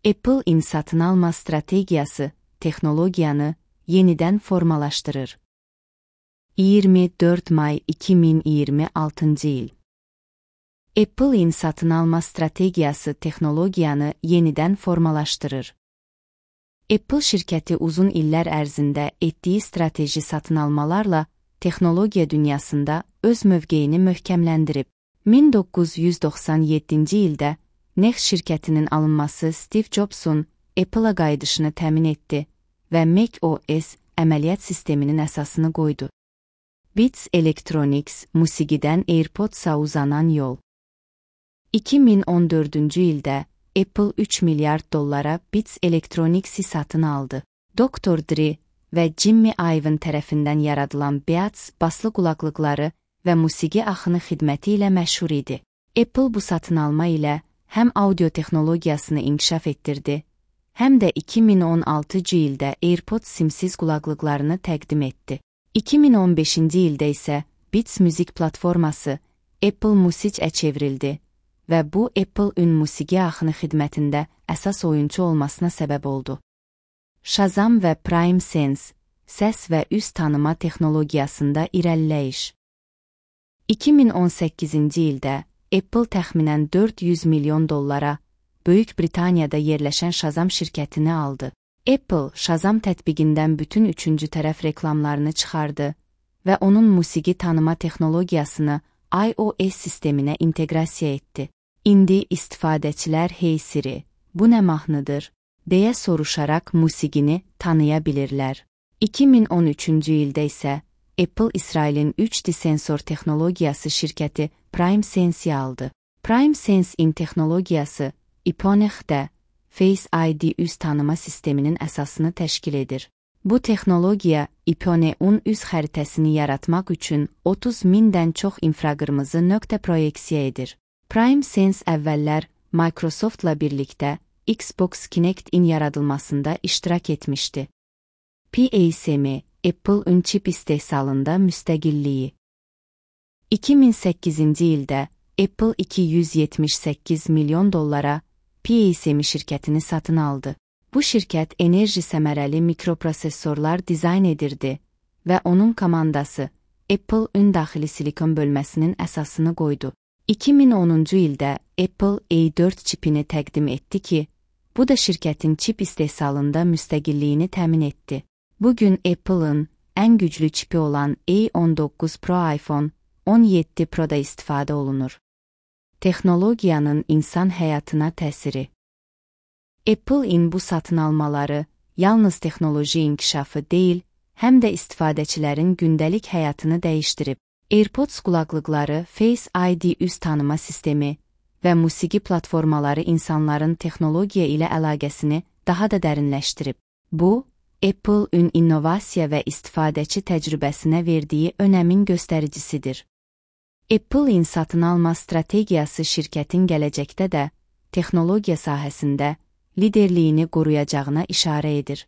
Apple-in satın alma strategiyası texnologiyanı yenidən formalaşdırır. 24 may 2026 il. Apple-in satın alma strategiyası texnologiyanı yenidən formalaşdırır. Apple şirkəti uzun illər ərzində etdiyi strateji satın almalarla texnologiya dünyasında öz mövqeyini möhkəmləndirib. 1997-ci ildə Next şirkətinin alınması Steve Jobs'un Apple-a qayıdışını təmin etdi və Mac OS əməliyyat sisteminin əsasını qoydu. Beats Electronics, musiqidən AirPods-a uzanan yol. 2014-cü ildə Apple 3 milyard dollara Beats Electronics'i satın aldı. Dr. Dre və Jimmy Iovine tərəfindən yaradılan Beats baslı qulaqlıqları və musiqi axını xidməti ilə məşhur idi. Apple bu satın alma ilə həm audio texnologiyasını inkişaf etdirdi, həm də 2016-cı ildə AirPods simsiz qulaqlıqlarını təqdim etdi. 2015-ci ildə isə Beats müzik platforması Apple Music'ə çevrildi və bu Apple-ün musiqi axını xidmətində əsas oyunçu olmasına səbəb oldu. Shazam və PrimeSense, səs və üz tanıma texnologiyasında irəliləyiş. 2018-ci ildə Apple təxminən 400 milyon dollara Böyük Britaniyada yerləşən Shazam şirkətini aldı. Apple, Shazam tətbiqindən bütün üçüncü tərəf reklamlarını çıxardı və onun musiqi tanıma texnologiyasını iOS sisteminə inteqrasiya etdi. İndi istifadəçilər "Hey Siri, bu nə mahnıdır?" deyə soruşaraq musiqini tanıya bilirlər. 2013-cü ildə isə Apple İsrailin 3D sensor texnologiyası şirkəti PrimeSense-i aldı. PrimeSense-in texnologiyası Iponex-də Face ID üz tanıma sisteminin əsasını təşkil edir. Bu texnologiya Iponex-un üz xəritəsini yaratmaq üçün 30 mindən çox infraqırmızı nöqtə proyeksiya edir. PrimeSense əvvəllər Microsoftla birlikdə Xbox Kinect-in yaradılmasında iştirak etmişdi. PASM, Apple-ün çip istehsalında müstəqilliyi. 2008-ci ildə Apple 278 milyon dollara PASM şirkətini satın aldı. Bu şirkət enerji səmərəli mikroprosesorlar dizayn edirdi və onun komandası Apple-ün daxili silikon bölməsinin əsasını qoydu. 2010-cu ildə Apple A4 çipini təqdim etdi ki, bu da şirkətin çip istehsalında müstəqilliyini təmin etdi. Bugün Apple-ın ən güclü çipi olan A19 Pro iPhone 17 Pro-da istifadə olunur. Texnologiyanın insan həyatına təsiri. Apple-in bu satın almaları yalnız texnoloji inkişafı deyil, həm də istifadəçilərin gündəlik həyatını dəyişdirib. AirPods qulaqlıqları, Face ID üz tanıma sistemi və musiqi platformaları insanların texnologiya ilə əlaqəsini daha da dərinləşdirib. Bu, Apple-ün innovasiya və istifadəçi təcrübəsinə verdiyi önəmin göstəricisidir. Apple-in satın alma strategiyası şirkətin gələcəkdə də texnologiya sahəsində liderliyini qoruyacağına işarə edir.